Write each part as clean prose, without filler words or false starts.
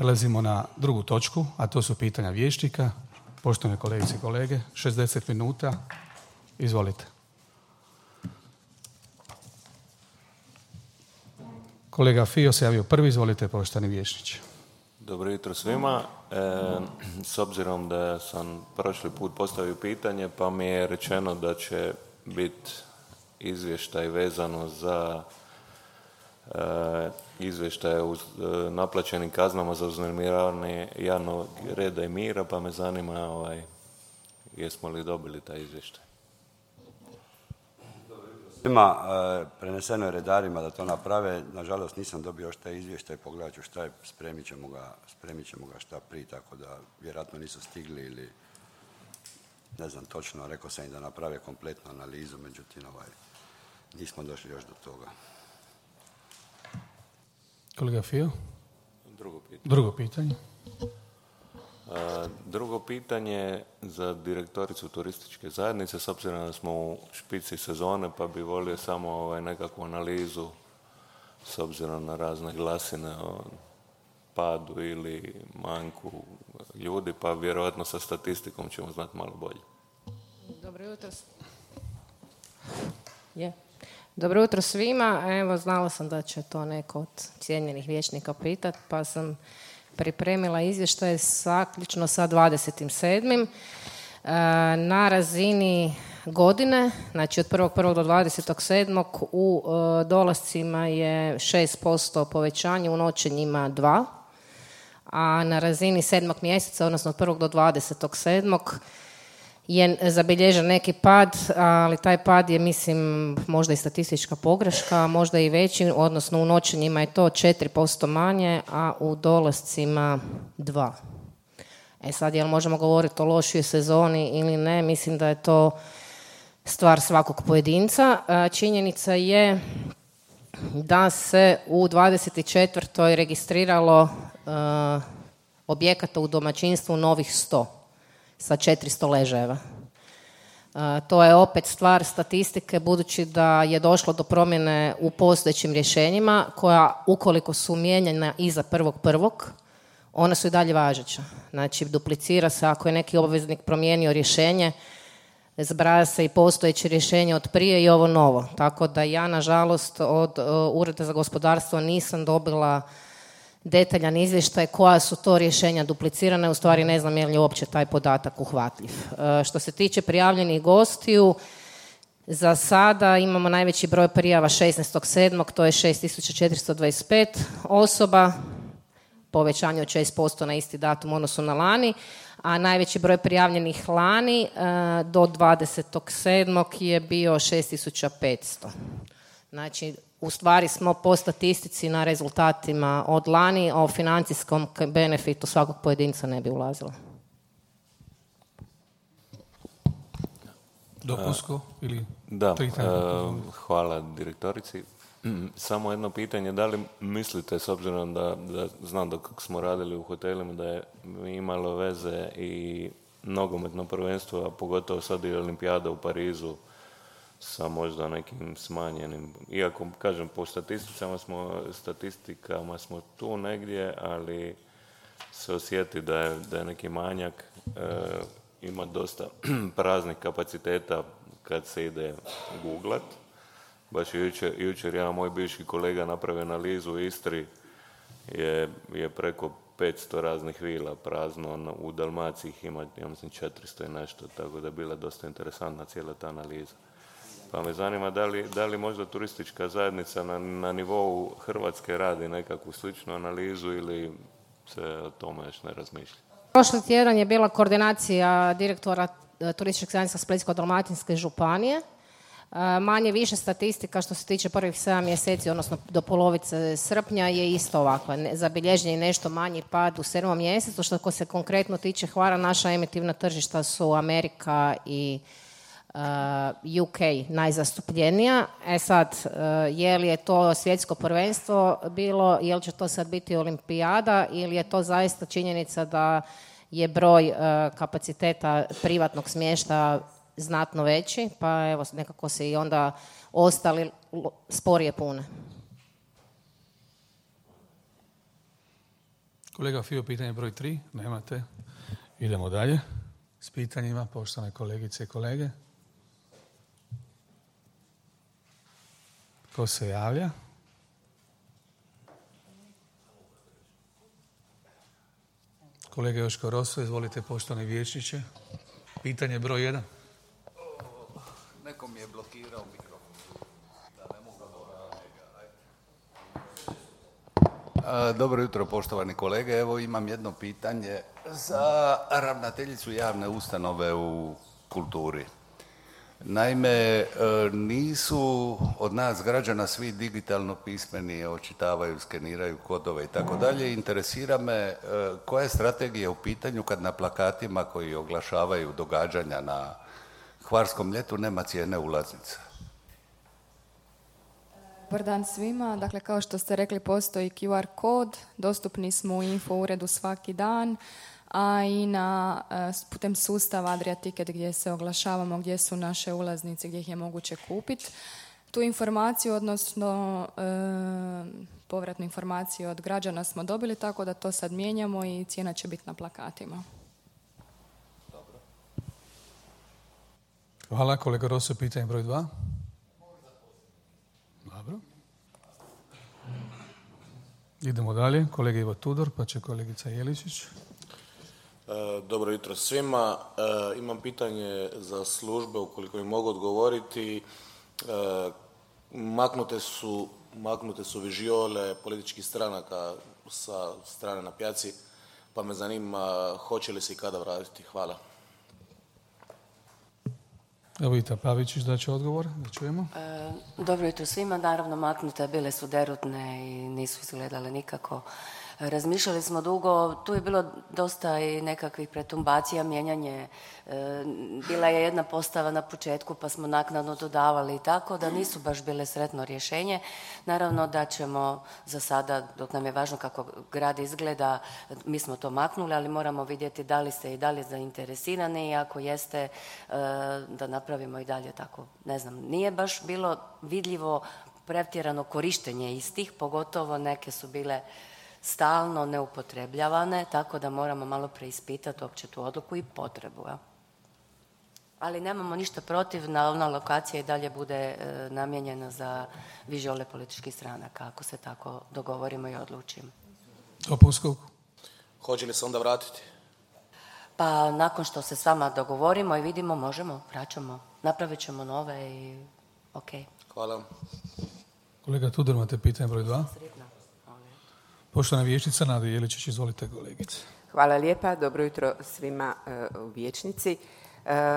Prelazimo na drugu točku, a to su pitanja vijećnika. Poštovane kolegice i kolege, 60 minuta. Izvolite. Kolega Fio se javio prvi, izvolite, poštovani vijećniče. Dobro jutro svima. S obzirom da sam prošli put postavio pitanje, pa mi je rečeno da će biti izvještaj vezano za izvještaje uz naplaćenim kaznama za uznemiravanje javnog reda i mira, pa me zanima jesmo li dobili taj izvještaj. Svima preneseno je redarima da to naprave. Nažalost nisam dobio još taj izvještaj, pogledat ću šta je, spremit ćemo ga šta prije, tako da vjerojatno nisu stigli ili ne znam točno, rekao sam im da naprave kompletnu analizu, međutim nismo došli još do toga. Kolega Fio? Drugo pitanje. Drugo pitanje za direktoricu turističke zajednice, s obzirom da smo u špici sezone, pa bi volio samo nekakvu analizu s obzirom na razne glasine o padu ili manjku ljudi, pa vjerojatno sa statistikom ćemo znati malo bolje. Dobro jutro. Dobro jutro svima. Evo, znala sam da će to neko od cijenjenih vijećnika pitati, pa sam pripremila izvještaj zaključno sa 27. Na razini godine, znači od 1.1. do 27. u dolascima je 6% povećanje, u noćenjima 2%, a na razini 7. mjeseca, odnosno od 1. do 27. je zabilježen neki pad, ali taj pad je, mislim, možda i statistička pogreška, možda i veći, odnosno u noćenjima je to 4% manje, a u dolascima 2%. Sad, jel možemo govoriti o lošoj sezoni ili ne? Mislim da je to stvar svakog pojedinca. Činjenica je da se u 24. registriralo objekata u domaćinstvu novih 100 sa 400 ležajeva. To je opet stvar statistike, budući da je došlo do promjene u postojećim rješenjima koja, ukoliko su mijenjana iza 1.1., ona su i dalje važeća. Znači, duplicira se ako je neki obveznik promijenio rješenje, zbraja se i postojeće rješenje od prije i ovo novo. Tako da ja, nažalost, od Ureda za gospodarstvo nisam dobila detaljan izvještaj koja su to rješenja duplicirane, u stvari ne znam je li uopće taj podatak uhvatljiv. Što se tiče prijavljenih gostiju, za sada imamo najveći broj prijava 16.7., to je 6425 osoba, povećanje od 6% na isti datum u odnosu na lani, a najveći broj prijavljenih lani do 20.7. je bio 6500. Znači, u stvari smo po statistici na rezultatima od lani, a o financijskom benefitu svakog pojedinca ne bi ulazila. Dopunsko ili? Da, hvala direktorici. Samo jedno pitanje, da li mislite, s obzirom da znam da kako smo radili u hotelima, da je imalo veze i nogometno prvenstvo, a pogotovo sad i olimpijada u Parizu, sa možda nekim smanjenim, iako kažem po statistikama smo tu negdje, ali se osjeti da je neki manjak, ima dosta praznih kapaciteta kad se ide googlat. Baš jučer jedan moj bivši kolega napravio analizu u Istri, je preko 500 raznih vila prazno, u Dalmaciji ih ima, ja mislim, 400 i nešto, tako da je bila dosta interesantna cijela ta analiza. Pa me zanima da li možda turistička zajednica na nivou Hrvatske radi nekakvu sličnu analizu ili se o tome još ne razmišlja. Prošli tjedan je bila koordinacija direktora turističkog zajednica Splitsko-dalmatinske županije. Manje više statistika što se tiče prvih 7 mjeseci, odnosno do polovice srpnja, je isto ovakva. Zabilježen je nešto manji pad u 7. mjesecu. Što se konkretno tiče Hvara, naša emitivna tržišta su Amerika i UK najzastupljenija. Sad, je li je to svjetsko prvenstvo bilo, je li će to sad biti olimpijada ili je to zaista činjenica da je broj kapaciteta privatnog smještaja znatno veći, pa evo nekako se i onda ostali sporije pune. Kolega Fio, pitanje broj 3. Nemate. Idemo dalje s pitanjima, poštovane kolegice i kolege. Ko se javlja? Kolega Joško Roso, izvolite, poštovani vijećniče. Pitanje broj 1. Neko mi je blokirao mikrofon. Dobro jutro, poštovani kolege. Evo imam jedno pitanje za ravnateljicu javne ustanove u kulturi. Naime, nisu od nas građana svi digitalno pismeni, očitavaju, skeniraju kodove i tako dalje. Interesira me koja je strategija u pitanju kad na plakatima koji oglašavaju događanja na Hvarskom ljetu nema cijene ulaznica. Dobar dan svima. Dakle, kao što ste rekli, postoji QR kod, dostupni smo u info uredu svaki dan, a i putem sustava Adria Ticket gdje se oglašavamo, gdje su naše ulaznice, gdje ih je moguće kupiti. Tu informaciju, odnosno povratnu informaciju od građana smo dobili, tako da to sad mijenjamo i cijena će biti na plakatima. Dobro. Hvala. Kolega Roso, pitanje broj 2. Dobro. Idemo dalje. Kolega Ivo Tudor, pa će kolegica Jeličić. Dobro jutro svima. Imam pitanje za službe, ukoliko mi mogu odgovoriti. Maknute su vižiole političkih stranaka sa strane na pijaci, pa me zanima hoće li se i kada vratiti. Hvala. Evo Vita Pavičić da će odgovor, da čujemo. Dobro jutro svima. Naravno, maknute bile su derutne i nisu izgledale nikako. Razmišljali smo dugo, tu je bilo dosta i nekakvih pretumbacija, mijenjanje. Bila je jedna postava na početku pa smo naknadno dodavali i tako da nisu baš bile sretno rješenje. Naravno da ćemo za sada, dok nam je važno kako grad izgleda, mi smo to maknuli, ali moramo vidjeti da li ste i dalje zainteresirani i ako jeste da napravimo i dalje tako. Ne znam, nije baš bilo vidljivo pretjerano korištenje istih, pogotovo neke su bile stalno neupotrebljavane, tako da moramo malo preispitati uopće tu odluku i potrebu. Ja? Ali nemamo ništa protiv na ona lokacija i dalje bude namijenjena za vižiole političkih stranaka, ako se tako dogovorimo i odlučimo. Topovskog. Hoće li se onda vratiti? Pa nakon što se s vama dogovorimo i vidimo, možemo, vraćamo, napravit ćemo nove i ok. Hvala. Kolega Tudor, imate pitanje broj 2. Poštovana vijećnica Nada Jeličić, izvolite kolegice. Hvala lijepa, dobro jutro svima u vijećnici.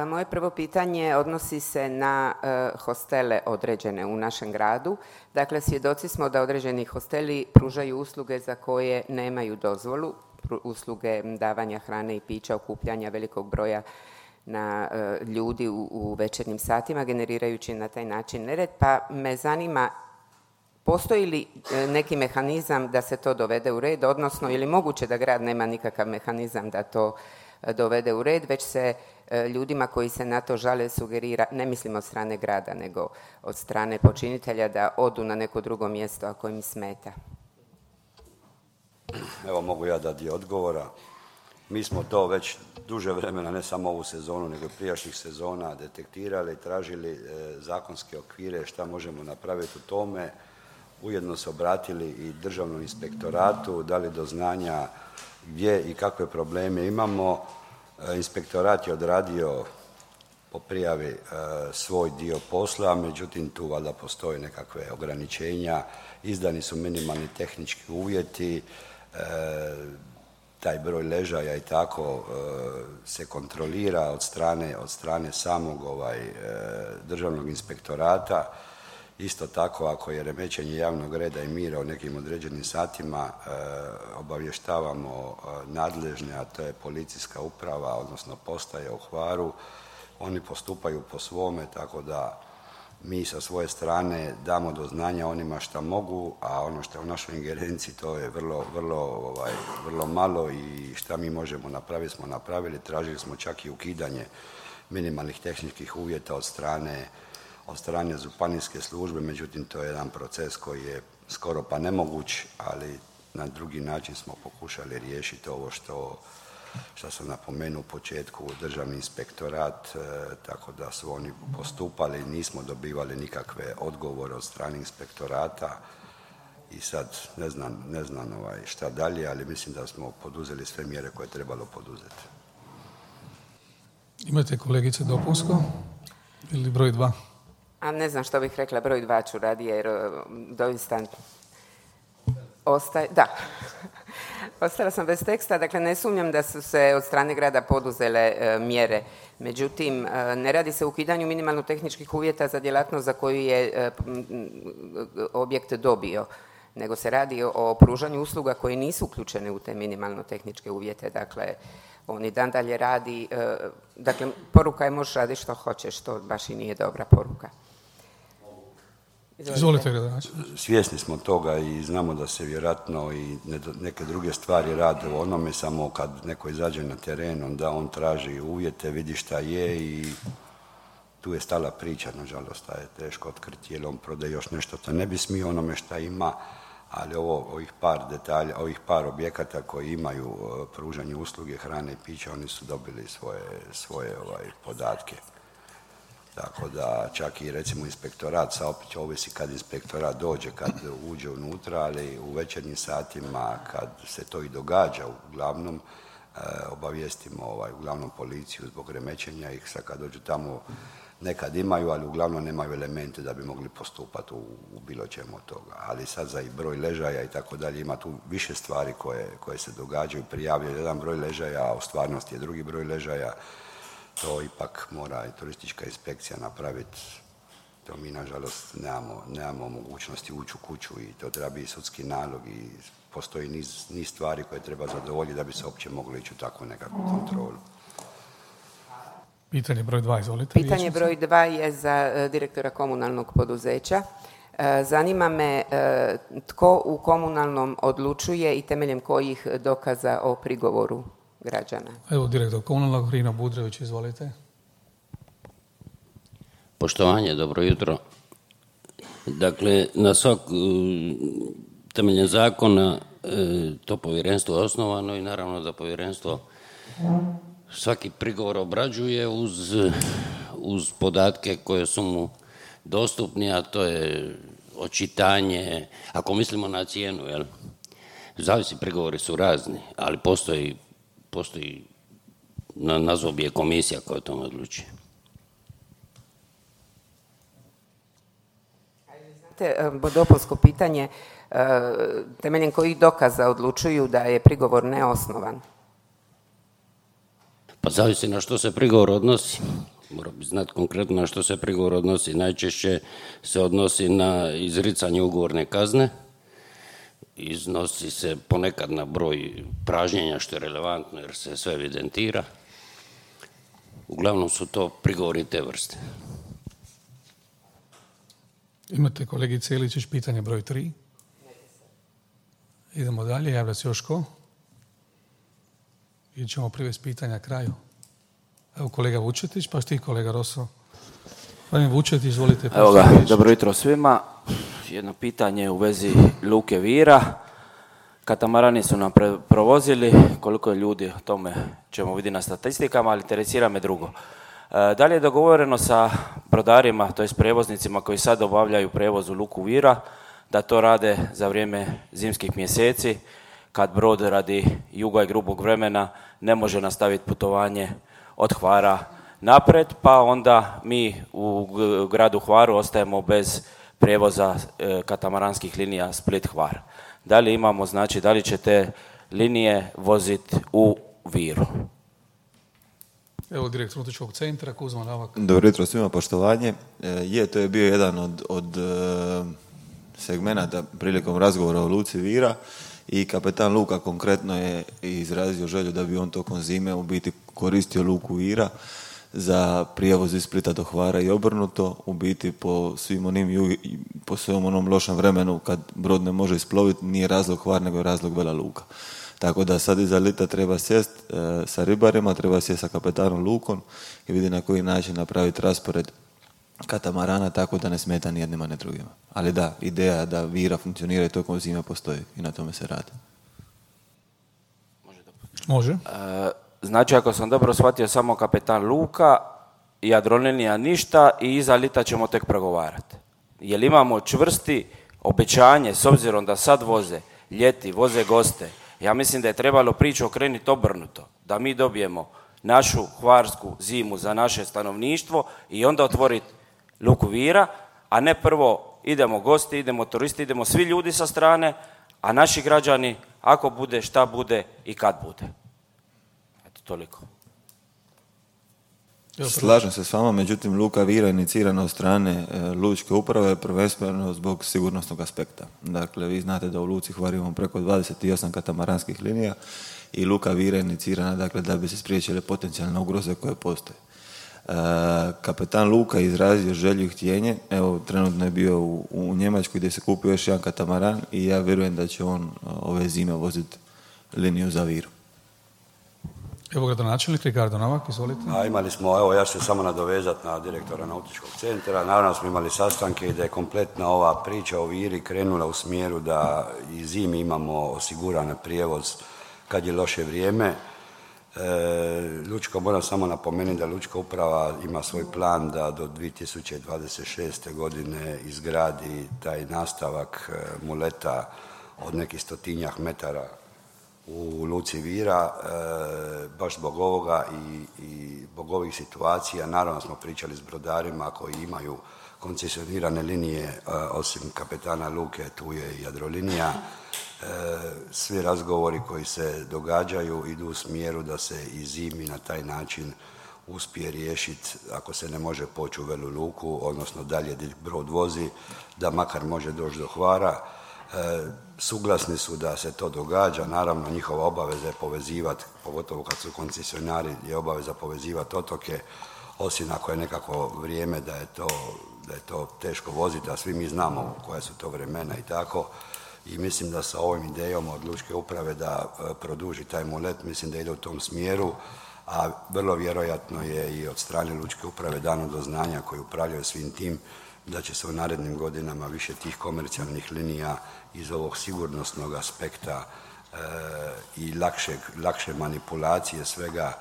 Moje prvo pitanje odnosi se na hostele određene u našem gradu. Dakle, svjedoci smo da određeni hosteli pružaju usluge za koje nemaju dozvolu, usluge davanja hrane i pića, okupljanja velikog broja na ljudi u večernjim satima, generirajući na taj način nered, pa me zanima postoji li neki mehanizam da se to dovede u red, odnosno je li moguće da grad nema nikakav mehanizam da to dovede u red, već se ljudima koji se na to žale sugerira, ne mislim od strane grada, nego od strane počinitelja da odu na neko drugo mjesto ako im smeta. Evo mogu ja dati odgovora. Mi smo to već duže vremena, ne samo ovu sezonu, nego i prijašnjih sezona detektirali, tražili zakonske okvire šta možemo napraviti u tome. Ujedno se obratili i Državnom inspektoratu, dali do znanja gdje i kakve probleme imamo. Inspektorat je odradio po prijavi svoj dio posla, međutim tu valjda postoje nekakve ograničenja, izdani su minimalni tehnički uvjeti, taj broj ležaja i tako se kontrolira od strane samog Državnog inspektorata. Isto tako, ako je remećenje javnog reda i mira u nekim određenim satima, obavještavamo nadležne, a to je policijska uprava, odnosno postaja u Hvaru. Oni postupaju po svome, tako da mi sa svoje strane damo do znanja onima šta mogu, a ono što je u našoj ingerenciji to je vrlo malo i šta mi možemo napraviti smo napravili. Tražili smo čak i ukidanje minimalnih tehničkih uvjeta od strane županijske službe, međutim to je jedan proces koji je skoro pa nemoguć, ali na drugi način smo pokušali riješiti ovo što sam napomenuo u početku, državni inspektorat, tako da su oni postupali, nismo dobivali nikakve odgovore od strane inspektorata i sad ne znam šta dalje, ali mislim da smo poduzeli sve mjere koje je trebalo poduzeti. Imate kolegice dopunsko ili broj 2? A ne znam što bih rekla, broj 2 ću radije jer doista ostala sam bez teksta, dakle ne sumnjam da su se od strane grada poduzele mjere. Međutim, ne radi se o ukidanju minimalno tehničkih uvjeta za djelatnost za koju je objekt dobio, nego se radi o pružanju usluga koje nisu uključene u te minimalno tehničke uvjete. Dakle, on i dan dalje radi, dakle, poruka je možeš raditi što hoćeš, što baš i nije dobra poruka. Izvolite, gradonačelniče. Svjesni smo toga i znamo da se vjerojatno i neke druge stvari rade u onome, samo kad neko izađe na teren, onda on traži uvjete, vidi šta je i tu je stala priča, nažalost, je teško otkriti jer on prodaje još nešto što ne bi smio onome šta ima, ali ovih par detalja, ovih par objekata koji imaju pružanje usluge, hrane i pića, oni su dobili svoje podatke. Tako da čak i recimo inspektorat, sad opet ovisi kad inspektorat dođe, kad uđe unutra, ali u večernjim satima kad se to i događa, uglavnom obavijestimo uglavnom policiju zbog remećenja ih, sad kad dođu tamo nekad imaju, ali uglavnom nemaju elemente da bi mogli postupati u bilo čemu od toga. Ali sad za i broj ležaja i tako dalje, ima tu više stvari koje se događaju, prijavljaju jedan broj ležaja, a u stvarnosti je drugi broj ležaja. To ipak mora i turistička inspekcija napraviti. To mi, nažalost, nemamo mogućnosti ući u kuću i to treba biti sudski nalog i postoji niz stvari koje treba zadovoljiti da bi se uopće moglo ići u takvu nekakvu kontrolu. Pitanje broj 2, izvolite. Pitanje broj 2 je za direktora komunalnog poduzeća. Zanima me tko u komunalnom odlučuje i temeljem kojih dokaza o prigovoru građana. Evo, direktor komunalnog, Rino Budrević, izvolite. Poštovanje, dobro jutro. Dakle, na temeljem zakona to povjerenstvo je osnovano i naravno da povjerenstvo svaki prigovor obrađuje uz podatke koje su mu dostupni, a to je očitanje, ako mislimo na cijenu, jel? Zavisi, prigovori su razni, ali postoji nazvao bi je komisija koja o tome odlučuje. Znate, dopunsko pitanje, temeljem kojih dokaza odlučuju da je prigovor neosnovan? Pa zavisi na što se prigovor odnosi. Mora bi znati konkretno na što se prigovor odnosi. Najčešće se odnosi na izricanje ugovorne kazne, iznosi se ponekad na broj pražnjenja, što je relevantno jer se sve evidentira. Uglavnom su to prigovori te vrste. Imate kolegice Iličić, pitanje broj 3. Idemo dalje, javlja se još ko? Ili ćemo privesti pitanja kraju? Evo kolega Vučetić, pa ti kolega Roso. Gospodin Vučetić, izvolite. Evo ga, dobro jutro svima. Jedno pitanje u vezi luke Vira. Katamarani su nam provozili, koliko je ljudi, o tome ćemo vidjeti na statistikama, ali interesira me drugo. Da li je dogovoreno sa brodarima, to jest prijevoznicima koji sad obavljaju prijevoz u luku Vira, da to rade za vrijeme zimskih mjeseci, kad brod radi juga i grubog vremena ne može nastaviti putovanje od Hvara naprijed, pa onda mi u gradu Hvaru ostajemo bez prijevoza katamaranskih linija Split-Hvar. Da li imamo, znači, da li će te linije voziti u Viru? Evo direktor Nautičkog centra, Kuzma Navak. Dobro jutro svima, poštovanje. To je bio jedan od segmenata prilikom razgovora o luci Vira i kapetan luka konkretno je izrazio želju da bi on tokom zime u biti koristio luku Vira za prijevoz iz Splita do Hvara i obrnuto, u biti po svom onom lošem vremenu kad brod ne može isploviti, nije razlog Hvar nego je razlog Vela Luka. Tako da sad iza lita treba sjest sa ribarima, treba sjest sa kapetanom lukom i vidi na koji način napraviti raspored katamarana, tako da ne smeta ni jednima ni drugima. Ali da, ideja da Vira funkcionira i tokom zime postoji i na tome se radi. Može. Znači, ako sam dobro shvatio, samo kapetan luka, Jadrolinija ništa i iza lita ćemo tek pregovarati. Jel imamo čvrsti obećanje, s obzirom da sad voze ljeti, voze goste, ja mislim da je trebalo priču okrenuti obrnuto, da mi dobijemo našu hvarsku zimu za naše stanovništvo i onda otvoriti luku Vira, a ne prvo idemo gosti, idemo turisti, idemo svi ljudi sa strane, a naši građani, ako bude, šta bude i kad bude. Eto, toliko. Slažem se s vama, međutim luka Vira je inicirana od strane lučke uprave prvenstveno zbog sigurnosnog aspekta. Dakle, vi znate da u luci Hvar imamo preko 28 katamaranskih linija i luka Vira je inicirana, dakle, da bi se spriječile potencijalne ugroze koje postoje. Kapetan luka izrazio želju i htjenje, evo trenutno je bio u Njemačkoj gdje se kupio još jedan katamaran i ja vjerujem da će on ove zime voziti liniju za Viru. Evo gradonačelnik Ricardo Novak, izvolite. Imali smo, evo ja ću se samo nadovezati na direktora nautičkog centra. Naravno smo imali sastanke i da je kompletna ova priča o Viri krenula u smjeru da i zimi imamo osiguran prijevoz kad je loše vrijeme. Moram samo napomenuti da Lučka uprava ima svoj plan da do 2026. godine izgradi taj nastavak muleta od nekih 100-tinjak metara u luci Vira, baš zbog ovoga i zbog ovih situacija. Naravno smo pričali s brodarima koji imaju koncesionirane linije, osim kapetana luke, tu je i Jadrolinija. Svi razgovori koji se događaju idu u smjeru da se i zimi na taj način uspije riješiti, ako se ne može poći u Velu Luku, odnosno dalje gdje brod vozi, da makar može doći do Hvara. Suglasni su da se to događa, naravno njihova obaveza je povezivati, pogotovo kad su koncesionari, je obaveza povezivati otoke, osim ako je nekako vrijeme da je to teško voziti, a svi mi znamo koja su to vremena i tako. I mislim da sa ovim idejom od Lučke uprave da produži taj mulet, mislim da ide u tom smjeru, a vrlo vjerojatno je i od strane Lučke uprave dano do znanja koji upravljaju svim tim da će se u narednim godinama više tih komercijalnih linija iz ovog sigurnosnog aspekta i lakše manipulacije svega,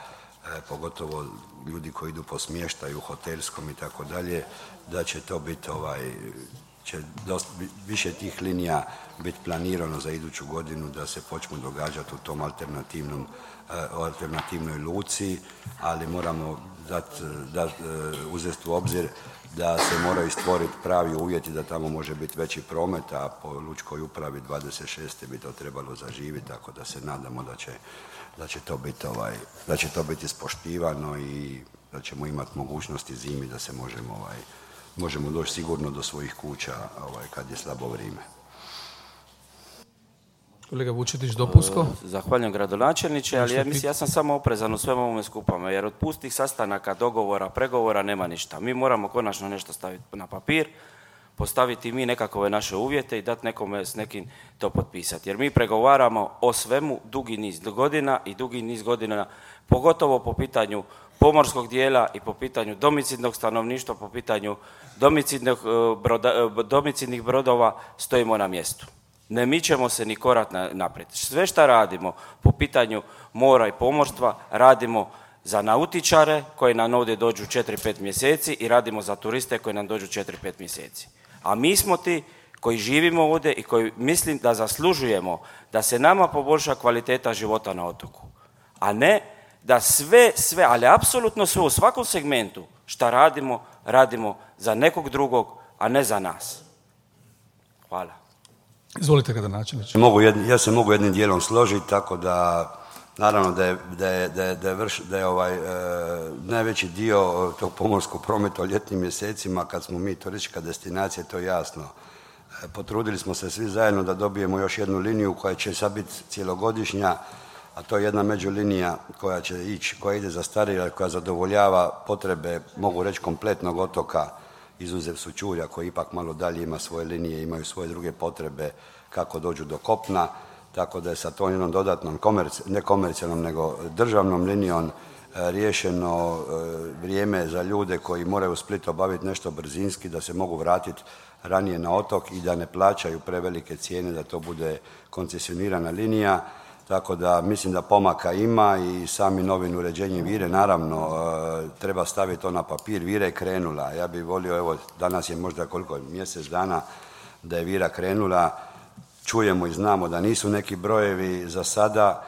pogotovo ljudi koji idu po smještaju, hotelskom i tako dalje, da će to biti će više tih linija biti planirano za iduću godinu da se počnu događati u tom alternativnoj luci, ali moramo uzeti u obzir da se moraju stvoriti pravi uvjeti da tamo može biti veći promet, a po Lučkoj upravi 26. bi to trebalo zaživiti, tako da se nadamo da će to biti ispoštivano i da ćemo imati mogućnosti zimi da se možemo doći sigurno do svojih kuća kad je slabo vrijeme. Kolega Vučetić, dopunsko. Zahvaljujem gradonačelniče, ali ja sam samo oprezan u svemu ovome skupama, jer od pustih sastanaka, dogovora, pregovora nema ništa. Mi moramo konačno nešto staviti na papir, postaviti mi nekakve naše uvjete i dati nekome s nekim to potpisati. Jer mi pregovaramo o svemu dugi niz godina, pogotovo po pitanju pomorskog dijela i po pitanju domicidnog stanovništva, po pitanju domicidnih brodova stojimo na mjestu. Ne mičemo se ni korak naprijed. Sve što radimo po pitanju mora i pomorstva radimo za nautičare koji nam ovdje dođu 4-5 mjeseci i radimo za turiste koji nam dođu 4-5 mjeseci. A mi smo ti koji živimo ovdje i koji mislim da zaslužujemo da se nama poboljša kvaliteta života na otoku. A ne da sve, ali apsolutno sve u svakom segmentu šta radimo za nekog drugog, a ne za nas. Hvala. Izvolite gradonačelniče. Ja se mogu jednim dijelom složiti, tako da naravno da je najveći dio tog pomorskog prometa u ljetnim mjesecima, kad smo mi turistička destinacija, to je jasno. Potrudili smo se svi zajedno da dobijemo još jednu liniju koja će sad biti cjelogodišnja, a to je jedna međulinija koja ide za Starigrad, koja zadovoljava potrebe, mogu reći, kompletnog otoka, izuzev Sućurja koji ipak malo dalje ima svoje linije, imaju svoje druge potrebe kako dođu do kopna, tako da je sa tom jednom dodatnom, ne komercijalnom, nego državnom linijom riješeno vrijeme za ljude koji moraju u Splitu obaviti nešto brzinski, da se mogu vratiti ranije na otok i da ne plaćaju prevelike cijene, da to bude koncesionirana linija. Tako da mislim da pomaka ima i sami novim uređenjem Vire, naravno, treba staviti to na papir. Vira je krenula. Ja bih volio, evo, danas je možda koliko, mjesec dana da je Vira krenula. Čujemo i znamo da nisu neki brojevi za sada,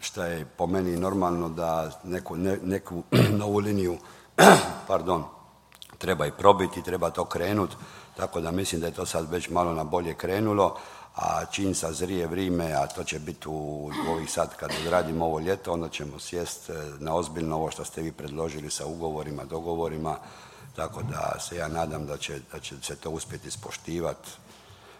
što je po meni normalno da neku novu liniju treba i probiti, treba to krenuti. Tako da mislim da je to sad već malo na bolje krenulo. A čim sazrije vrijeme, a to će biti u ovih sad kad odradimo ovo ljeto, onda ćemo sjest na ozbiljno ovo što ste vi predložili sa ugovorima, dogovorima, tako da se ja nadam da će se to uspjeti ispoštivati.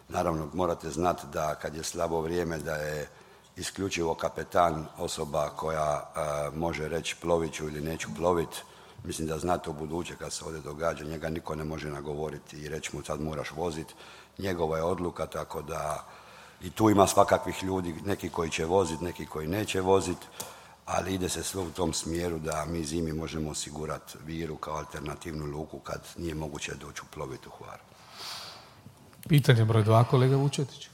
Naravno, morate znati da kad je slabo vrijeme da je isključivo kapetan osoba koja može reći plovit ću ili neću plovit. Mislim da znate u buduće kad se ovdje događa, njega niko ne može nagovoriti i reći mu sad moraš voziti. Njegova je odluka, tako da i tu ima svakakvih ljudi, neki koji će voziti, neki koji neće voziti, ali ide se sve u tom smjeru da mi zimi možemo osigurati Viru kao alternativnu luku kad nije moguće doći uploviti u Hvar. Pitanje broj 2, kolega Vučetić.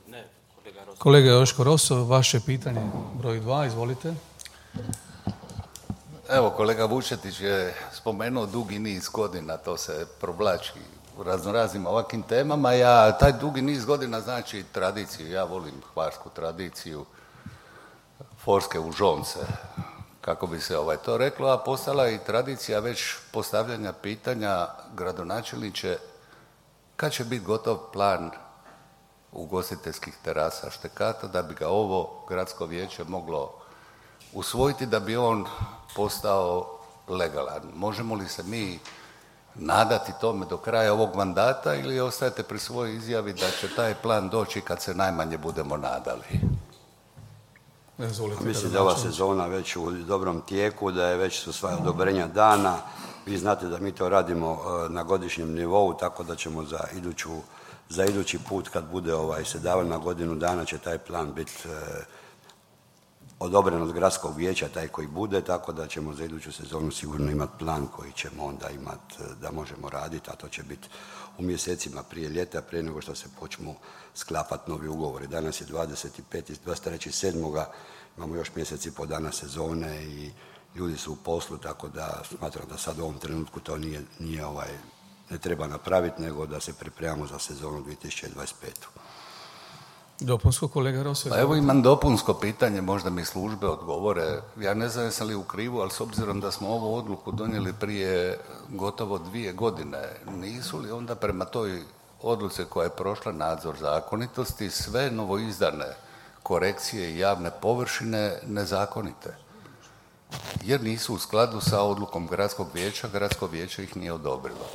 Ne, kolega Rosso. Kolega Joško Rosso, vaše pitanje broj 2, izvolite. Evo, kolega Vučetić je spomenuo dugi niz godina, to se provlači u raznoraznim ovakvim temama. Taj dugi niz godina znači tradiciju. Ja volim hvarsku tradiciju, forske užonce, kako bi se to reklo, a postala je i tradicija već postavljanja pitanja gradonačelniče kad će biti gotov plan ugostiteljskih terasa Štekata da bi ga ovo gradsko vijeće moglo usvojiti, da bi on postao legalan. Možemo li se mi nadati tome do kraja ovog mandata ili ostajete pri svojoj izjavi da će taj plan doći kad se najmanje budemo nadali? Mislim da je ova sezona već u dobrom tijeku, da je već su sva odobrenja dana. Vi znate da mi to radimo na godišnjem nivou, tako da ćemo za idući put kad bude se davao na godinu dana će taj plan biti odobren od gradskog vijeća, taj koji bude, tako da ćemo za iduću sezonu sigurno imati plan koji ćemo onda imati da možemo raditi, a to će biti u mjesecima prije ljeta, prije nego što se počnu sklapati novi ugovori. Danas je 23.7. imamo još mjesec i pol dana sezone i ljudi su u poslu, tako da smatram da sad u ovom trenutku to ne treba napraviti, nego da se pripremamo za sezonu 2025. Dopunsko, kolega Rosso. Pa evo imam dopunsko pitanje, možda mi službe odgovore. Ja ne znam jesam li u krivu, ali s obzirom da smo ovu odluku donijeli prije gotovo 2 godine, nisu li onda prema toj odluci koja je prošla nadzor zakonitosti sve novoizdane korekcije i javne površine nezakonite? Jer nisu u skladu sa odlukom gradskog vijeće ih nije odobrilo.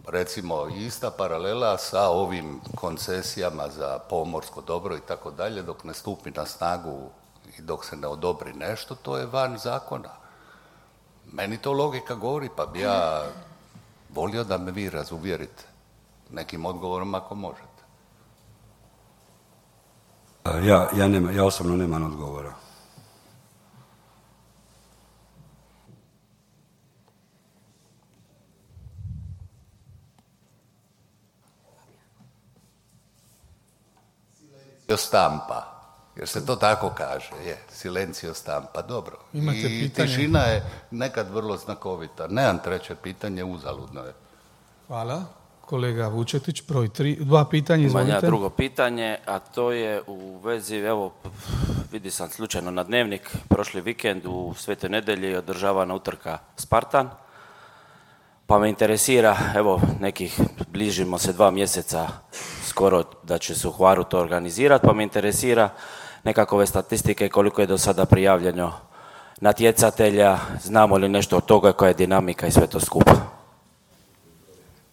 Recimo, ista paralela sa ovim koncesijama za pomorsko dobro i tako dalje, dok ne stupi na snagu i dok se ne odobri nešto, to je van zakona. Meni to logika govori, pa bi ja volio da me vi razuvjerite nekim odgovorom ako možete. Ja osobno nemam odgovora. Stampa, jer se to tako kaže, silencio stampa, dobro. Imate i pitanje? Tišina je nekad vrlo znakovita. Nemam treće pitanje, uzaludno je. Hvala. Kolega Vučetić, broj 3, 2 pitanja, izvolite. Imam ja drugo pitanje, a to je u vezi, evo, vidi sam slučajno na Dnevnik, prošli vikend u Svetoj Nedelji održavana utrka Spartan, pa me interesira, evo, bližimo se 2 mjeseca skoro da će se u Hvaru to organizirati, pa me interesira nekakove statistike koliko je do sada prijavljeno natjecatelja, znamo li nešto od toga, koja je dinamika i sve to skupa.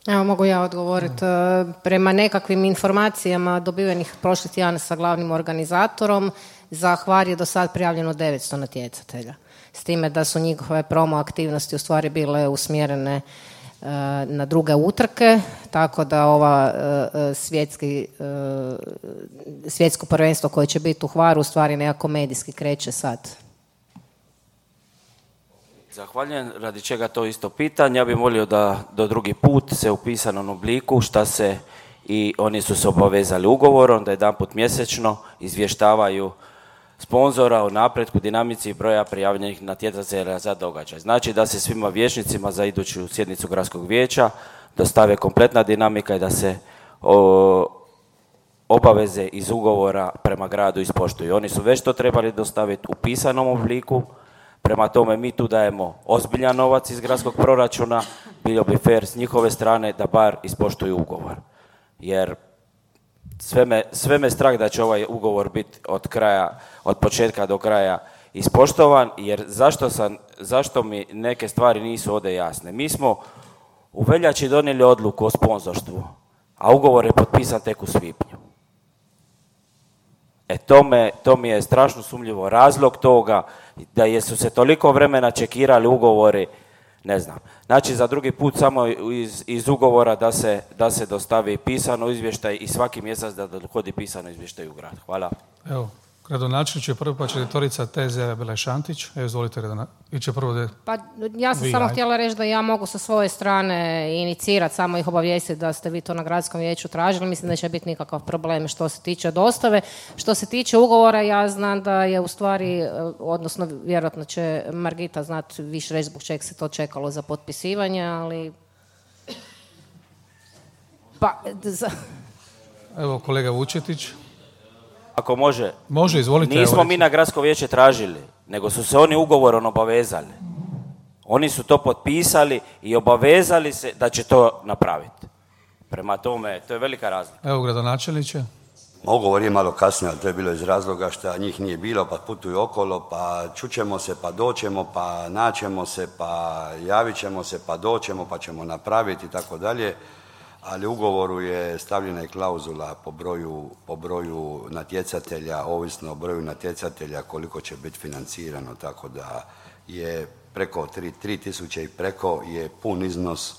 Evo, mogu ja odgovoriti. Prema nekakvim informacijama dobivenih prošli tjedan sa glavnim organizatorom, za Hvar je do sad prijavljeno 900 natjecatelja. S time da su njihove promo aktivnosti u stvari bile usmjerene na druge utrke, tako da ova svjetsko prvenstvo koje će biti u Hvaru u stvari nekako medijski kreće sad Zahvaljujem, radi čega to isto pitanje. Ja bih molio da do drugi put se u pisanom obliku šta se i oni su se obavezali ugovorom da jedanput mjesečno izvještavaju sponzora o napretku, dinamici i broja prijavljenih natjecatelja za događaj. Znači da se svima vijećnicima za iduću sjednicu gradskog vijeća dostave kompletna dinamika i da se obaveze iz ugovora prema gradu ispoštuju. Oni su već to trebali dostaviti u pisanom obliku, prema tome mi tu dajemo ozbiljan novac iz gradskog proračuna, bilo bi fair s njihove strane da bar ispoštuju ugovor. Jer sve me strah da će ovaj ugovor biti od početka do kraja ispoštovan, jer zašto mi neke stvari nisu ovdje jasne. Mi smo u veljači donijeli odluku o sponzorstvu, a ugovor je potpisan tek u svibnju. To mi je strašno sumnjivo. Razlog toga da su se toliko vremena čekirali ugovori, ne znam. Znači za drugi put samo iz ugovora da se dostavi pisano izvještaj i svaki mjesec da dohodi pisano izvještaj u grad. Hvala. Evo, gradonačelnik je prvo, pa će direktorica TZ Bela Šantić. Evo, izvolite, iće prvo Pa ja sam samo htjela reći da ja mogu sa svoje strane inicirati, samo ih obavijestiti da ste vi to na gradskom vijeću tražili. Mislim da neće biti nikakav problem što se tiče dostave. Što se tiče ugovora, ja znam da je u stvari, odnosno vjerojatno će Margita znati više reći zbog čega se to čekalo za potpisivanje, ali... Evo, kolega Vučetić. Ako može. Može, izvolite. Nismo mi na gradsko vijeće tražili, nego su se oni ugovorom obavezali. Oni su to potpisali i obavezali se da će to napraviti. Prema tome, to je velika razlika. Evo, gradonačelniče. Ugovor je malo kasnije, ali to je bilo iz razloga što njih nije bilo, pa putuju okolo, pa čućemo se, pa doćemo, pa naćemo se, pa javit ćemo se, pa doćemo, pa ćemo napraviti i tako dalje. Ali u ugovoru je stavljena i klauzula po broju natjecatelja, ovisno o broju natjecatelja koliko će biti financirano, tako da je preko 3000 i preko je pun iznos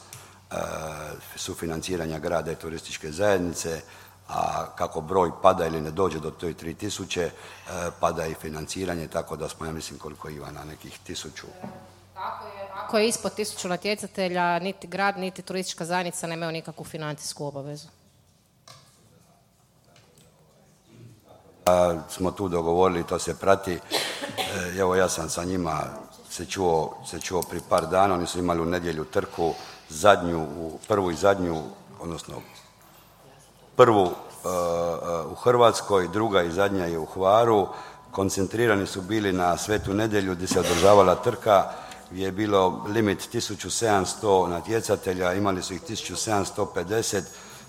sufinanciranja grada i turističke zajednice, a kako broj pada ili ne dođe do toj 3000, pada i financiranje, tako da smo, ja mislim, koliko Ivana, nekih 1000. Ako je ispod 1000 natjecatelja, niti grad, niti turistička zajednica nemaju nikakvu financijsku obavezu. Smo tu dogovorili, to se prati. Evo, ja sam sa njima se čuo pri par dana, oni su imali u nedjelju trku, prvu i zadnju, odnosno prvu u Hrvatskoj, druga i zadnja je u Hvaru. Koncentrirani su bili na Svetu nedjelju gdje se održavala trka, gdje je bilo limit 1700 natjecatelja, imali su ih 1750,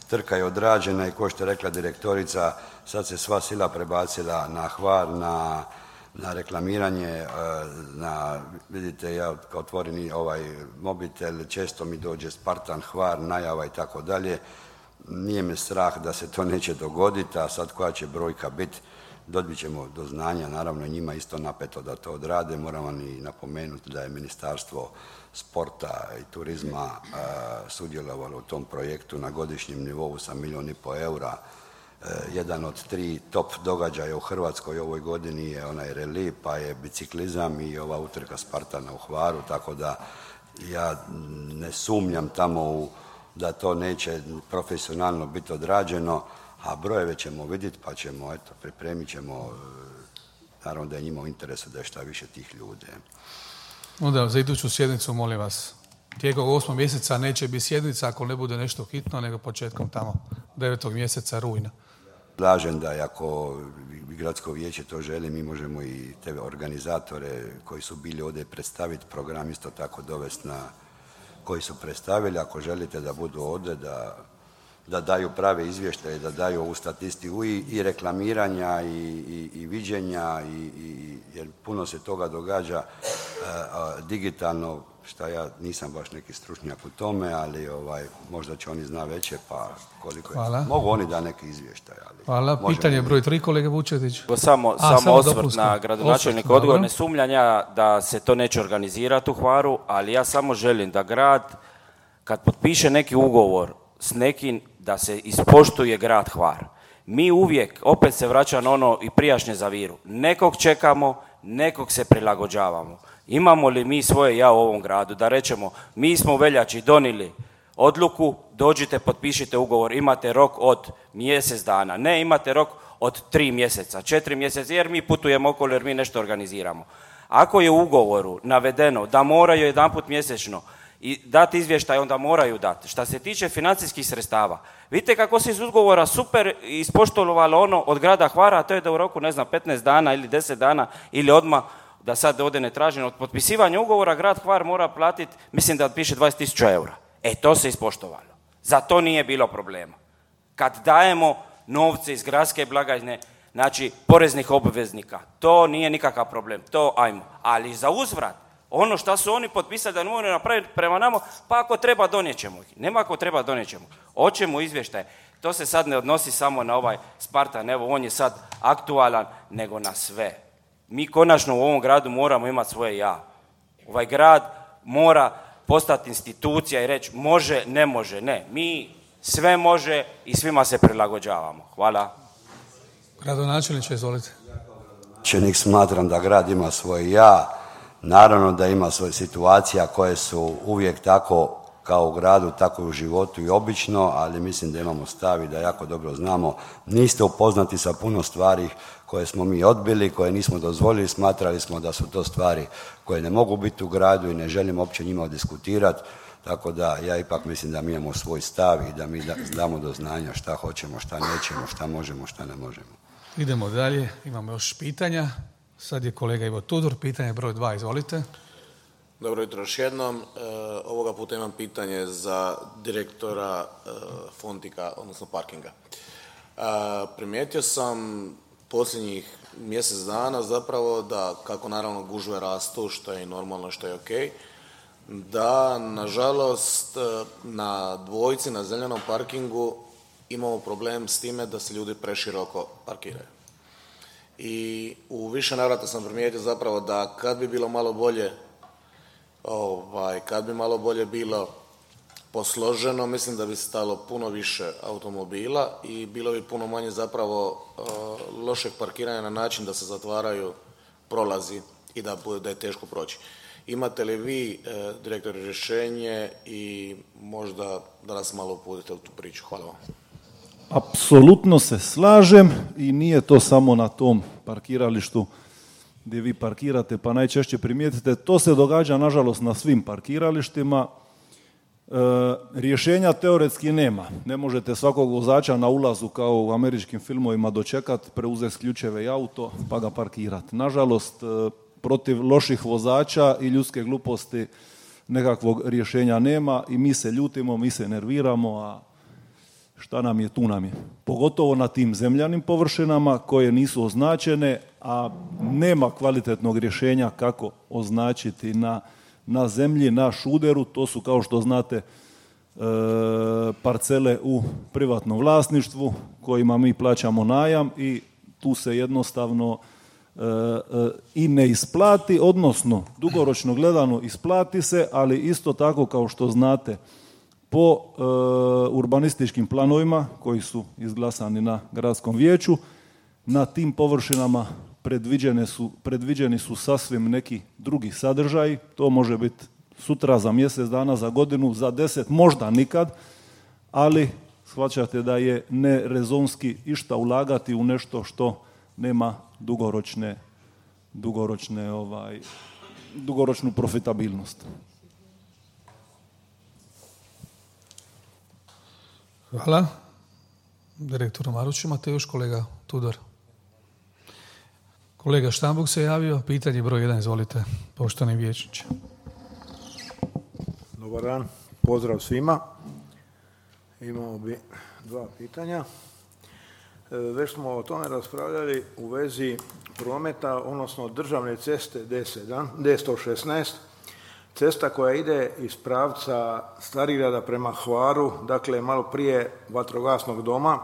trka je odrađena i kao što je rekla direktorica, sad se sva sila prebacila na Hvar, na reklamiranje, vidite, ja kao otvorim ovaj mobitel, često mi dođe Spartan, Hvar, najava i tako dalje. Nije me strah da se to neće dogoditi, a sad koja će brojka biti, dobit ćemo do znanja, naravno njima isto napeto da to odrade. Moramo i napomenuti da je Ministarstvo sporta i turizma sudjelovalo u tom projektu na godišnjem nivou sa 1,5 milijuna eura. Jedan od 3 top događaja u Hrvatskoj ovoj godini je onaj reli, pa je biciklizam i ova utrka Spartana u Hvaru, tako da ja ne sumnjam tamo da to neće profesionalno biti odrađeno, a brojeve ćemo vidjeti pa ćemo, pripremit ćemo, naravno da je njima u interesu da je šta više tih ljudi. Onda za iduću sjednicu, molim vas, tijekom 8. mjeseca neće biti sjednica ako ne bude nešto hitno, nego početkom tamo 9. mjeseca rujna. Predlažem da ako gradsko vijeće to želi, mi možemo i te organizatore koji su bili ovdje predstaviti program isto tako dovesti koji su predstavili, ako želite da budu ovdje, da daju prave izvještaje, da daju ovu statistiku i reklamiranja i viđenja, jer puno se toga događa digitalno, šta ja nisam baš neki stručnjak u tome, ali možda će oni zna veće, pa koliko je. Mogu oni da neki izvještaj. Ali hvala. Pitanje broj 3, kolega Vučetić. Samo osvrt na gradonačelnika. Odgovor, ne sumnjam ja da se to neće organizirati u Hvaru, ali ja samo želim da grad, kad potpiše neki ugovor s nekim, da se ispoštuje grad Hvar. Mi uvijek, opet se vraća na ono i prijašnje za Viru, nekog čekamo, nekog se prilagođavamo. Imamo li mi svoje ja u ovom gradu da rečemo, mi smo u veljači donijeli odluku, dođite, potpišite ugovor, imate rok od mjesec dana, ne imate rok od 3 mjeseca, 4 mjeseca, jer mi putujemo okolo, jer mi nešto organiziramo. Ako je u ugovoru navedeno da moraju jedanput mjesečno i dati izvještaj, onda moraju dati. Šta se tiče financijskih sredstava, vidite kako se iz ugovora super ispoštovalo ono od grada Hvara, a to je da u roku, 15 dana ili 10 dana ili odmah, da sad ovdje ne tražim, od potpisivanja ugovora grad Hvar mora platiti, mislim da piše 20.000 eura. To se ispoštovalo. Za to nije bilo problema. Kad dajemo novce iz gradske blagajne, znači poreznih obveznika, to nije nikakav problem, to ajmo. Ali za uzvrat, ono što su oni potpisali da ne moraju napraviti prema nama, pa ako treba donijećemo ih. Nema ako treba donijećemo. Hoćemo izvještaje. To se sad ne odnosi samo na ovaj Spartan, evo on je sad aktualan, nego na sve. Mi konačno u ovom gradu moramo imati svoje ja. Ovaj grad mora postati institucija i reći može, ne može, ne. Mi sve može i svima se prilagođavamo. Hvala. Gradonačelniče, izvolite. Čelnik smatram da grad ima svoje ja, naravno da ima svoje situacija koje su uvijek tako kao u gradu, tako i u životu i obično, ali mislim da imamo stav i da jako dobro znamo. Niste upoznati sa puno stvari koje smo mi odbili, koje nismo dozvolili, smatrali smo da su to stvari koje ne mogu biti u gradu i ne želim uopće njima diskutirati, tako da ja ipak mislim da mi imamo svoj stav i da mi damo do znanja šta hoćemo, šta nećemo, šta možemo, šta ne možemo. Idemo dalje, imamo još pitanja. Sad je kolega Ivo Tudor, pitanje broj 2, izvolite. Dobro jutro još jednom. Ovoga puta imam pitanje za direktora Fontika, odnosno parkinga. Primijetio sam posljednjih mjesec dana zapravo da, kako naravno gužve rastu, što je normalno, što je ok, da nažalost na dvojci, na zeljenom parkingu imamo problem s time da se ljudi preširoko parkiraju. I u više navrata sam primijetio zapravo da kad bi bilo malo bolje kad bi malo bolje bilo posloženo, mislim da bi stalo puno više automobila i bilo bi puno manje zapravo lošeg parkiranja na način da se zatvaraju prolazi i da je teško proći. Imate li vi, direktore, rješenje i možda da nas malo uputite u tu priču? Hvala vam. Apsolutno se slažem i nije to samo na tom parkiralištu gdje vi parkirate, pa najčešće primijetite, to se događa nažalost na svim parkiralištima. Rješenja teoretski nema. Ne možete svakog vozača na ulazu kao u američkim filmovima dočekati, preuzeti ključeve i auto pa ga parkirati. Nažalost, protiv loših vozača i ljudske gluposti nekakvog rješenja nema i mi se ljutimo, mi se nerviramo, a šta nam je, tu nam je. Pogotovo na tim zemljanim površinama koje nisu označene, a nema kvalitetnog rješenja kako označiti na zemlji, na šuderu. To su, kao što znate, parcele u privatnom vlasništvu kojima mi plaćamo najam i tu se jednostavno i ne isplati, odnosno dugoročno gledano isplati se, ali isto tako, kao što znate, po urbanističkim planovima koji izglasani na gradskom vijeću, na tim površinama predviđeni su sasvim neki drugi sadržaji. To može biti sutra, za mjesec dana, za godinu, za 10, možda nikad, ali shvaćate da je nerezonski išta ulagati u nešto što nema dugoročnu profitabilnost. Hvala. Direktor Maruć, imate još kolega Tudor? Kolega Štambuk se javio, pitanje broj 1, izvolite, poštovani vijećniče. Dobar dan, pozdrav svima. Imamo bi 2 pitanja. Već smo o tome raspravljali u vezi prometa, odnosno državne ceste D116, cesta koja ide iz pravca Starigrada prema Hvaru, dakle malo prije vatrogasnog doma.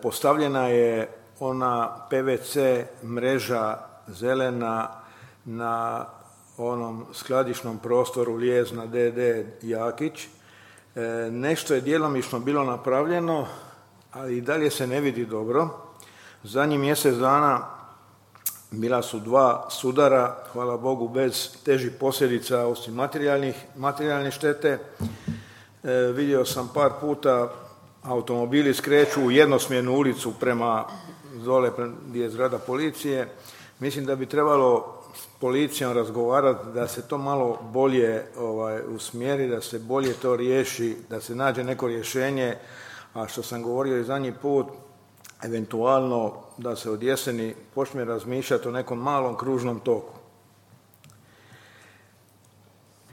Postavljena je ona PVC mreža zelena na onom skladišnom prostoru Lijezna DD Jakić. Nešto je djelomično bilo napravljeno, ali i dalje se ne vidi dobro. Zadnjih mjesec dana bila su 2 sudara, hvala Bogu, bez težih posljedica osim materijalne štete. Vidio sam par puta automobili skreću u jednosmjernu ulicu prema dole gdje je zgrada policije. Mislim da bi trebalo s policijom razgovarati da se to malo bolje usmjeri, da se bolje to riješi, da se nađe neko rješenje. A što sam govorio i zadnji put, eventualno da se od jeseni počne razmišljati o nekom malom kružnom toku.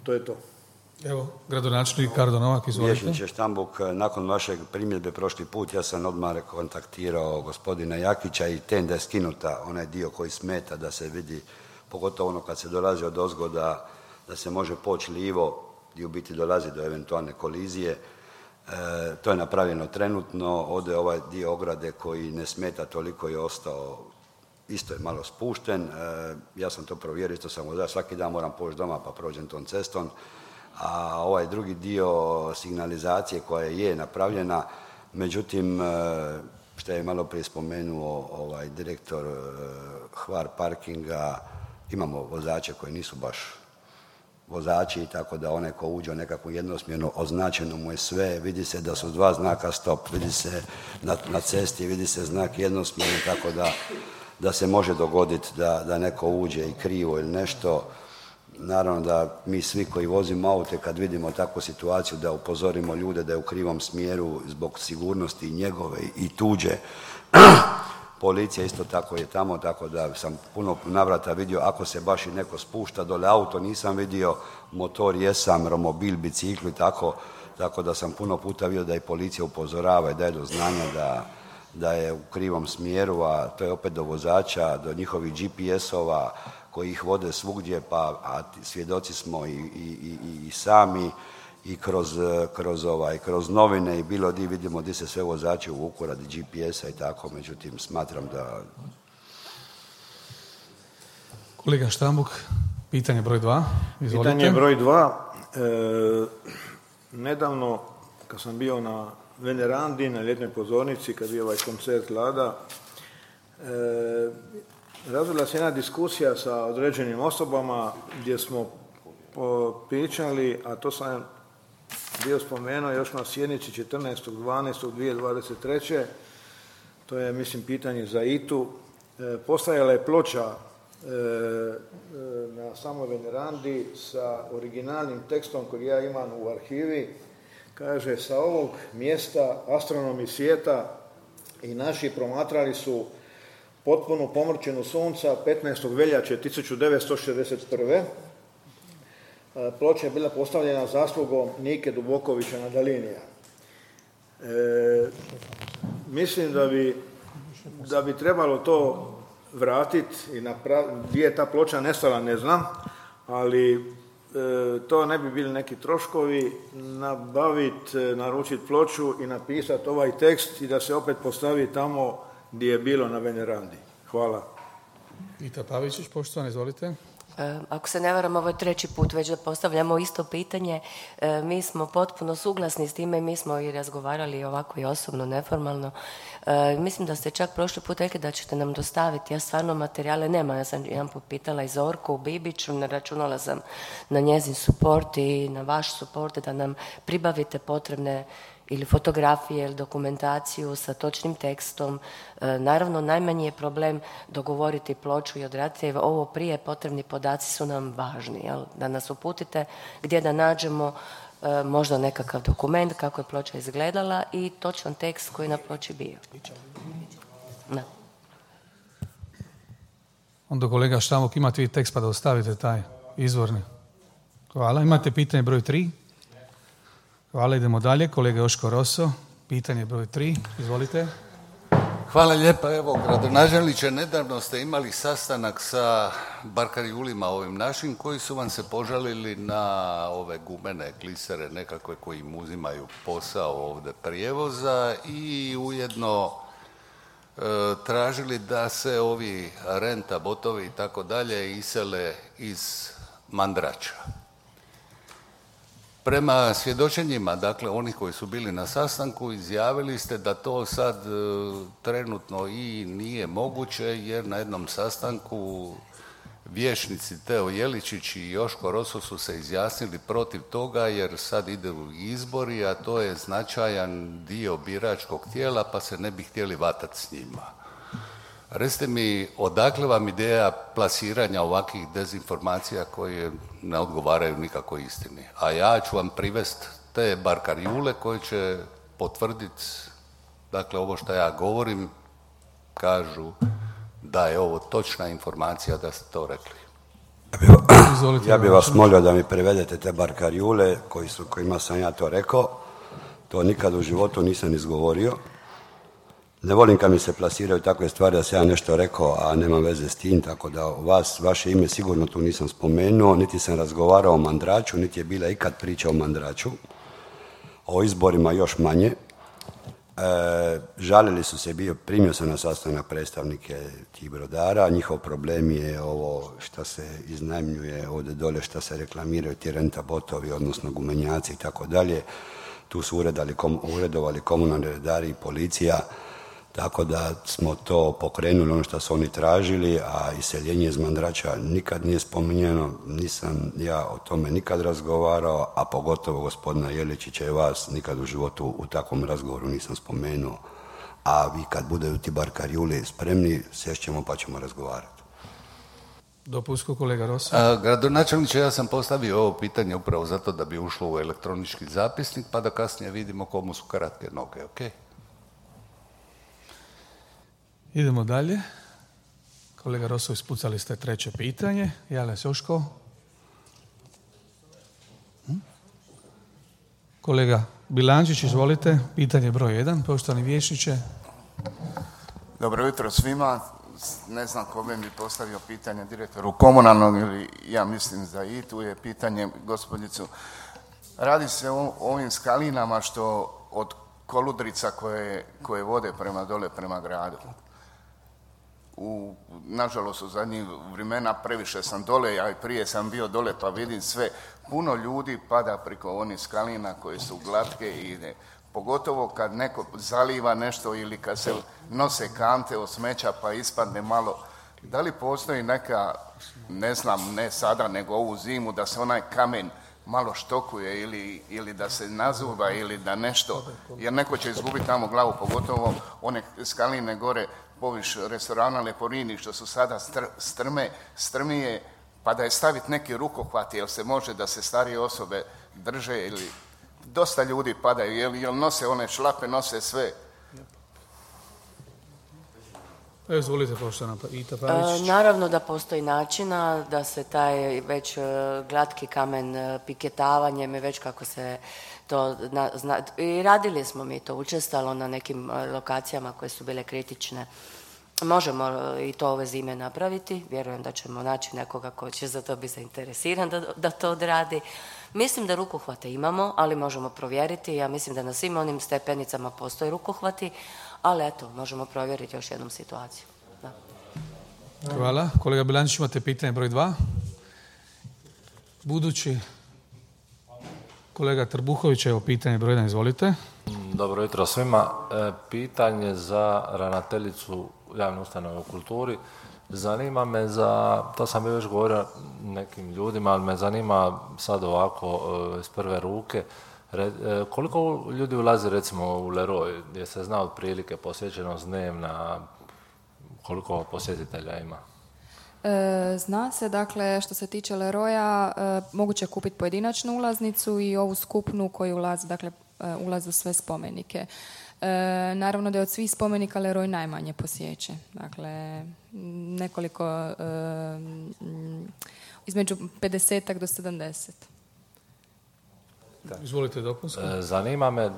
To je to. Evo, gradonačelnik Kardo Novak, izvolite. Vijećniče Štambuk, nakon vašeg primjedbe prošli put ja sam odmah kontaktirao gospodina Jakića i tenda je skinuta, onaj dio koji smeta da se vidi, pogotovo ono kad se dolazi od ozgoda, da se može poći lijevo i u biti dolazi do eventualne kolizije. To je napravljeno trenutno, ovdje ovaj dio ograde koji ne smeta toliko je ostao, isto je malo spušten. Ja sam to provjerio, isto sam vozač, svaki dan moram poći doma pa prođem tom cestom. A ovaj drugi dio signalizacije koja je napravljena, međutim, što je malo prije spomenuo direktor Hvar parkinga, imamo vozače koji nisu baš vozači, tako da onaj ko uđe u nekakvu jednosmjernu, označeno mu je sve, vidi se da su 2 znaka stop, vidi se na cesti, vidi se znak jednosmjerni, tako da se može dogoditi da neko uđe i krivo ili nešto. Naravno da mi svi koji vozimo aute kad vidimo takvu situaciju da upozorimo ljude da je u krivom smjeru zbog sigurnosti njegove i tuđe. Policija isto tako je tamo, tako da sam puno navrata vidio ako se baš i neko spušta dole, auto nisam vidio, motor jesam, romobil, bicikli, tako da sam puno puta vidio da i policija upozorava i daje do znanja da je u krivom smjeru, a to je opet do vozača, do njihovih GPS-ova koji ih vode svugdje, a svjedoci smo i sami i kroz novine i bilo di vidimo di se sve vozači uvuku radi GPS-a i tako, međutim smatram da... Kolega Štambuk, pitanje broj 2, izvolite. Pitanje broj 2. Nedavno, kad sam bio na Venerandi, na ljetnoj pozornici, kad je bio ovaj koncert Lada, razvila se jedna diskusija sa određenim osobama gdje smo pričali, a to sam bio spomenuo još na sjednici 14.12.2023. To je, mislim, pitanje za ITU. Postojala je ploča na samoj Venerandi sa originalnim tekstom koji ja imam u arhivi. Kaže, sa ovog mjesta astronomi svijeta i naši promatrali su potpunu pomrčinu sunca 15. veljače 1961. Ploča je bila postavljena zaslugom Nike Dubokovića Nadalinija. Mislim da bi trebalo to vratiti i gdje je ta ploča nestala, ne znam, ali to ne bi bili neki troškovi, nabaviti, naručiti ploču i napisati ovaj tekst i da se opet postavi tamo gdje je bilo na Venerandi. Hvala. Vita Pavičić, poštovani, izvolite. Ako se ne varam, ovo je 3. put već da postavljamo isto pitanje. Mi smo potpuno suglasni s time, mi smo i razgovarali ovako i osobno, neformalno. Mislim da ste čak prošli put rekli da ćete nam dostaviti. Ja stvarno materijale nemam. Ja sam jedan put pitala i Zorku u Bibiću, računala sam na njezin suport i na vaš suport da nam pribavite potrebne ili fotografije ili dokumentaciju sa točnim tekstom. Naravno, najmanji je problem dogovoriti ploču i odraditi. Ovo prije potrebni podaci su nam važni. Jel? Da nas uputite gdje da nađemo možda nekakav dokument kako je ploča izgledala i točan tekst koji je na ploči bio. Da. Onda kolega Štambuk, imate vi tekst pa da ostavite taj izvorni. Hvala. Imate pitanje broj 3? Hvala, idemo dalje. Kolega Joško Roso, pitanje broj 3, izvolite. Hvala lijepa. Evo, gradonačelniče, nedavno ste imali sastanak sa barkarijulima ovim našim koji su vam se požalili na ove gumene glisere nekakve koji im uzimaju posao ovdje prijevoza i ujedno tražili da se ovi renta, botovi i tako dalje isele iz Mandrača. Prema svjedočenjima, dakle, onih koji su bili na sastanku, izjavili ste da to sad trenutno i nije moguće, jer na jednom sastanku vijećnici Teo Jeličić i Joško Roso su se izjasnili protiv toga, jer sad idu izbori, a to je značajan dio biračkog tijela, pa se ne bi htjeli vatati s njima. Recite mi, odakle vam ideja plasiranja ovakvih dezinformacija koje ne odgovaraju nikako istini? A ja ću vam privesti te barkarjule koje će potvrditi, dakle, ovo što ja govorim, kažu da je ovo točna informacija da ste to rekli. Ja bih vas molio da mi prevedete te barkarjule kojima sam ja to rekao. To nikad u životu nisam izgovorio. Ne volim kad mi se plasiraju takve stvari da sam ja nešto rekao, a nema veze s tim, tako da vaše ime sigurno tu nisam spomenuo, niti sam razgovarao o Mandraču, niti je bila ikad priča o Mandraču, o izborima još manje. Žalili su se, primio sam na sastanak predstavnike tih brodara, njihov problem je ovo što se iznajmljuje ovdje dole, što se reklamiraju ti renta botovi, odnosno gumenjaci i tako dalje. Tu su uredovali komunalni redari i policija, tako da smo to pokrenuli, ono što su oni tražili, a iseljenje iz Mandrača nikad nije spominjeno, nisam ja o tome nikad razgovarao, a pogotovo gospodina Jeličića i vas nikad u životu u takvom razgovoru nisam spomenuo. A vi kad budu ti barkarjuli spremni, sješćemo pa ćemo razgovarati. Dopunsko, kolega Rosso. Gradonačelniče, ja sam postavio ovo pitanje upravo zato da bi ušlo u elektronički zapisnik, pa da kasnije vidimo komu su kratke noge, ok? Idemo dalje. Kolega Rosso, ispucali ste treće pitanje. Javlja se Joško. Kolega Bilančić, izvolite. Pitanje broj 1, poštovani vijećniče. Dobro jutro svima. Ne znam kome bi postavio pitanje direktoru komunalnog ili ja mislim da i tu je pitanje gospodicu. Radi se o ovim skalinama što od koludrica koje vode prema dole, prema gradu. Nažalost, u zadnjih vremena previše sam dole, a i prije sam bio dole pa vidim sve. Puno ljudi pada preko onih skalina koje su glatke i ide. Pogotovo kad neko zaliva nešto ili kad se nose kante od smeća pa ispadne malo. Da li postoji neka, ne znam, ne sada nego ovu zimu, da se onaj kamen malo štokuje ili da se nazuva ili da nešto, jer neko će izgubiti tamo glavu, pogotovo one skaline gore poviš restorana Leporini što su sada strmije, pa da je staviti neki rukohvat, jel se može da se starije osobe drže ili dosta ljudi padaju, jel nose one šlape, nose sve. Izvolite, poštovana Ita Pavić. Naravno da postoji načina da se taj već glatki kamen piketavanjem i već kako se to i radili smo mi to učestalo na nekim lokacijama koje su bile kritične. Možemo i to ove zime napraviti, vjerujem da ćemo naći nekoga ko će za to biti zainteresiran da to odradi. Mislim da rukohvate imamo, ali možemo provjeriti. Ja mislim da na svim onim stepenicama postoje rukohvati, ali eto, možemo provjeriti još jednom situaciju. Da. Hvala. Kolega Bilančić, imate pitanje broj 2. Budući kolega Trbuhović, evo pitanje broj 1, izvolite. Dobro jutro svima. Pitanje za ravnateljicu javne ustanove u kulturi. Zanima me to sam bi već govorio nekim ljudima, ali me zanima sad ovako iz prve ruke, koliko ljudi ulazi recimo u Leroy, gdje se zna otprilike posjećenost dnevna, koliko posjetitelja ima? Zna se, dakle, što se tiče Leroya, moguće kupiti pojedinačnu ulaznicu i ovu skupnu koju ulazi, dakle, ulazi u sve spomenike. Naravno da je od svih spomenika Leroy najmanje posjećen. Dakle, nekoliko, između 50 do 70. Izvolite dopunsko. Zanima me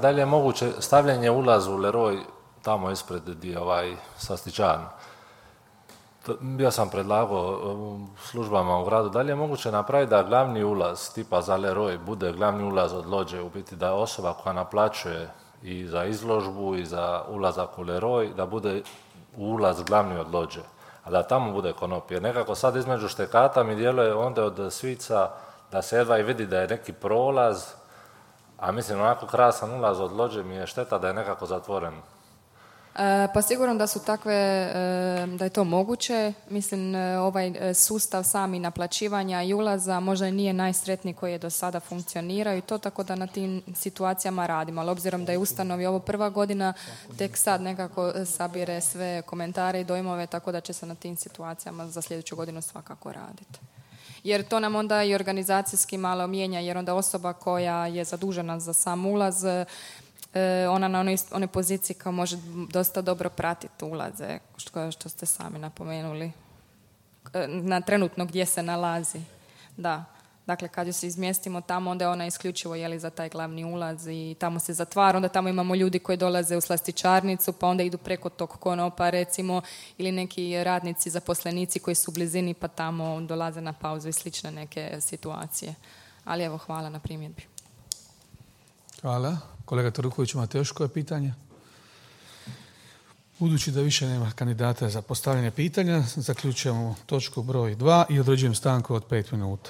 da li je moguće stavljanje ulaza u Leroy tamo ispred gdje slastičarna. Bio sam predlagao službama u gradu, da li je moguće napraviti da glavni ulaz tipa za Leroy bude glavni ulaz od lođe, u biti da osoba koja naplaćuje i za izložbu i za ulazak u Leroy, da bude ulaz glavni od lođe, a da tamo bude konop. Jer nekako sad između štekata mi djeluje onda od Svica da se jedva i vidi da je neki prolaz, a mislim onako krasan ulaz od lođe mi je šteta da je nekako zatvoren. Pa sigurno da su takve, da je to moguće. Mislim, ovaj sustav sami naplaćivanja i ulaza možda nije najsretniji koji je do sada funkcionirao i to, tako da na tim situacijama radimo. Ali obzirom da je ustanovi ovo prva godina, tek sad nekako sabire sve komentare i dojmove, tako da će se na tim situacijama za sljedeću godinu svakako raditi. Jer to nam onda i organizacijski malo mijenja, jer onda osoba koja je zadužena za sam ulaz, ona na onoj poziciji kao može dosta dobro pratiti ulaze, što ste sami napomenuli, na trenutno gdje se nalazi. Da. Dakle, kad ju se izmjestimo tamo, onda je ona isključivo za taj glavni ulaz i tamo se zatvara. Onda tamo imamo ljudi koji dolaze u slastičarnicu, pa onda idu preko tog konopa, recimo, ili neki radnici, zaposlenici koji su u blizini, pa tamo dolaze na pauzu i slične neke situacije. Ali evo, hvala na primjedbi. Hvala. Kolega Toruković, imate još koje pitanje? Budući da više nema kandidata za postavljanje pitanja, zaključujemo točku broj 2 i određujem stanku od 5 minuta.